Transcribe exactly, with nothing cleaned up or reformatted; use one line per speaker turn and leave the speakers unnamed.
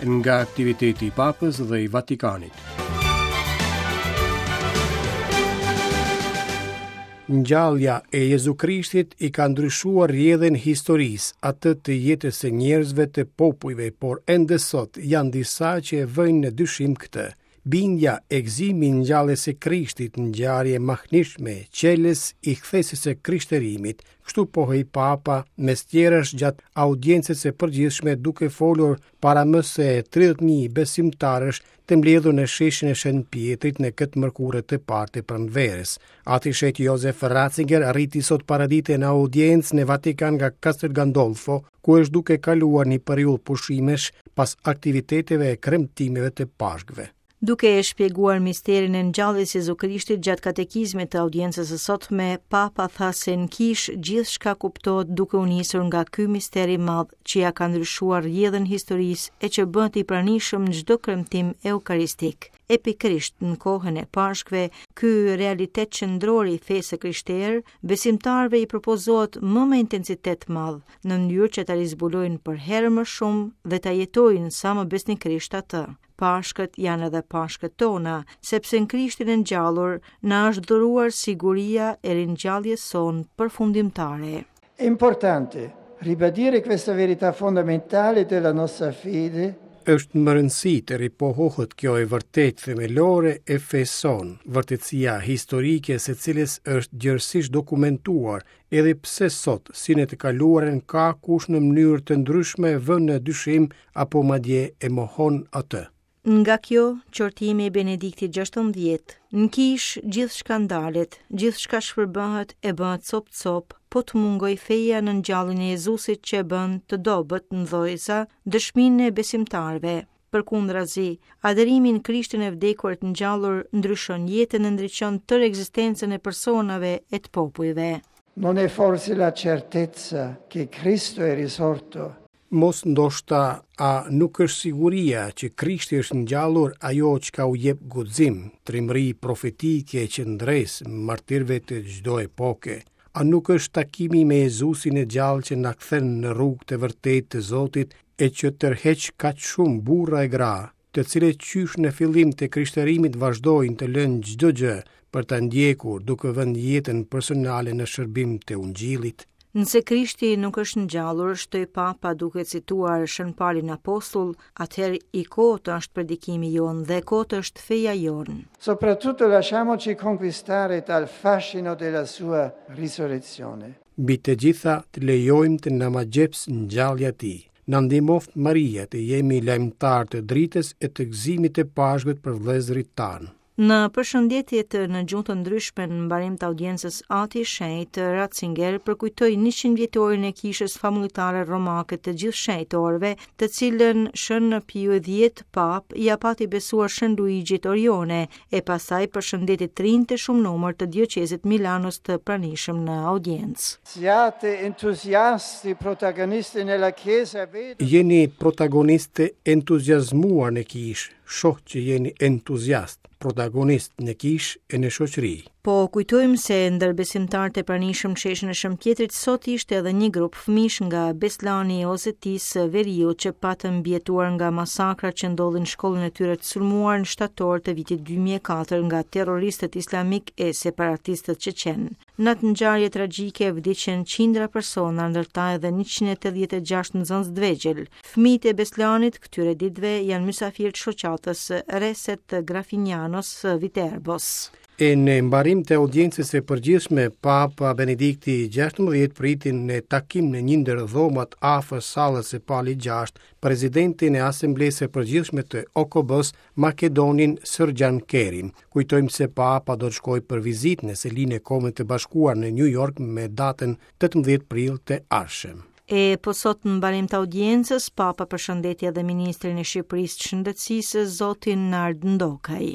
Nga aktiviteti i Papës dhe i Vatikanit. Ngjallja e Jezu Krishtit i ka ndryshuar rrjedhën historisë, atë të jetës së njerëzve të popujve, por ende sot janë disa që e vënë në dyshim këtë. Bindja e gëzimi i ngjalljes së Krishtit, ngjarje e mahnitshme, çelës i kthesës së krishterimit, kështu pohoi Papa mes tjerash gjatë audiencës së përgjithshme duke folur para më se tridhjetë mijë besimtarësh të mbledhur në sheshin e Shën Pjetrit në këtë mërkurë të parë të pranverës. Ati Shenjt Josef Ratzinger arriti sot paradite në audiencë në Vatikan nga Castel Gandolfo, ku është duke kaluar një periudhë pushimesh pas aktiviteteve e kremtimeve të Pashkëve.
Duke e shpjeguar misterin e ngjalljes së Jezu Krishtit gjatë katekizmit të audiencës së sotme, Papa tha se në kishë gjithçka kuptohet duke u nisur nga ky mister i madh që ja ka ndryshuar rrjedhën historisë e që bëhet i pranishëm në çdo kremtim eukaristik. E pikërisht në kohën e Pashkëve, ky realitet qendror i fesë së krishterë, besimtarëve i propozohet më me intensitet madh, në mënyrë që ta rizbulojnë për herë më shumë dhe ta jetojnë sa më besnikërisht atë. Pashkët janë edhe pashkët tona, sepse në Krishtin e ngjallur na është dhuruar siguria e ringjalljes sonë përfundimtare.
È importante ribadire questa verità fondamentale della nostra fede.
Është më rëndësi të ripohohet kjo e vërtetë themelore e fesë sonë, vërtetësia historike e së cilës është gjerësisht dokumentuar, edhe pse sot, si në të kaluarën, ka kush në mënyrë të ndryshme vë në dyshim apo madje e mohon atë.
Nga kjo, qortimi i Benediktit gjashtëmbëdhjetë, në kishë gjithçka ndalet, gjithçka shpërbëhet e bëhet cop-cop, po të mungoj feja në ngjalljen e Jezusit që e bën të dobët në dhojza, dëshminë e besimtarëve. Përkundrazi, adherimi në Krishtin e vdekur e të ngjallur ndryshon jetën e ndriçon tërë ekzistencën e personave e të popujve.
Non è forse la certezza che Cristo è risorto?
Mos ndoshta a nuk është siguria që Krishti është ngjallur ajo çka u jep guxim, trimëri profetike e qëndresë martirëve të çdo epoke? A nuk është takimi me Jezusin e gjallë që na kthen në rrugë të vërtetë të Zotit e që tërheq kaq shumë burra e gra, të cilët qysh në fillim të krishterimit vazhdojnë të lënë çdo gjë për ta ndjekur duke vënë jetën personale në shërbim të Ungjillit?
Nëse Krishti nuk është ngjallur, shtoi Papa duke cituar Shën Palin Apostull, atëherë i kotë është predikimi jonë dhe kotë është feja jonë.
Soprattutto lasciamoci conquistare dal fascino della sua risurrezione.
Mbi të gjitha të lejojmë të na magjeps ngjallja e tij. Na ndihmoft Maria të jemi lajmëtar të dritës e të gëzimit të Pashkët për vëllezërit tanë.
Në përshëndetjet në gjuhë të ndryshme në mbarim të audiencës, Ati Shenjt Ratzinger përkujtoi njëqind vjetorin e kishës famullitare romake të gjithë shenjtorëve, të cilën Shën Piu dhjetë Pap ia pati besuar Shën Luigjit Orione, e pastaj përshëndeti të rinjtë e shumë numër të dioqezit Milanos të pranishëm në audiencë.
Siate entuziasti, protagonisti nella Chiesa, vedo
Jeni protagonistë entuziazmuar në kishë, shoh që jeni entuziast, protagonist në kishë e në shoqëri.
Po kujtojmë se ndër besimtarët e pranishëm në sheshin e Shën Pjetrit sot ishte edhe një grup fëmijësh nga Beslani i Osetisë së Veriut që patën mbijetuar nga masakrat që ndodhin në shkollën e tyre të sulmuar në shtator të vitit dy mijë e katër nga terroristët islamik e separatistët çeçen. Në atë ngjarje tragjike vdiqën qindra persona, ndër ta edhe njëqind e tetëdhjetë e gjashtë nxënës të vegjël. Fëmijët e Beslanit këtyre ditëve janë mysafirë të shoqatës Reset të Grafinjanos së Viterbos.
E në mbarim të audiencës së përgjithshme, Papa Benedikti gjashtëmbëdhjetë priti në takim në një ndër dhomat afër sallës së Palit gjashtë, presidentin e Asamblesë së Përgjithshme të O K B-s, Makedonin Sërgjan Kerim. Kujtojmë se Papa do të shkojë për vizitë në selinë e Kombeve të Bashkuara në New York me datën tetëmbëdhjetë prill të ardhshëm.
E po sot në mbarim të audiencës, Papa përshëndeti edhe ministrin e Shqipërisë të Shëndetësisë, zotin Nard Ndokaj.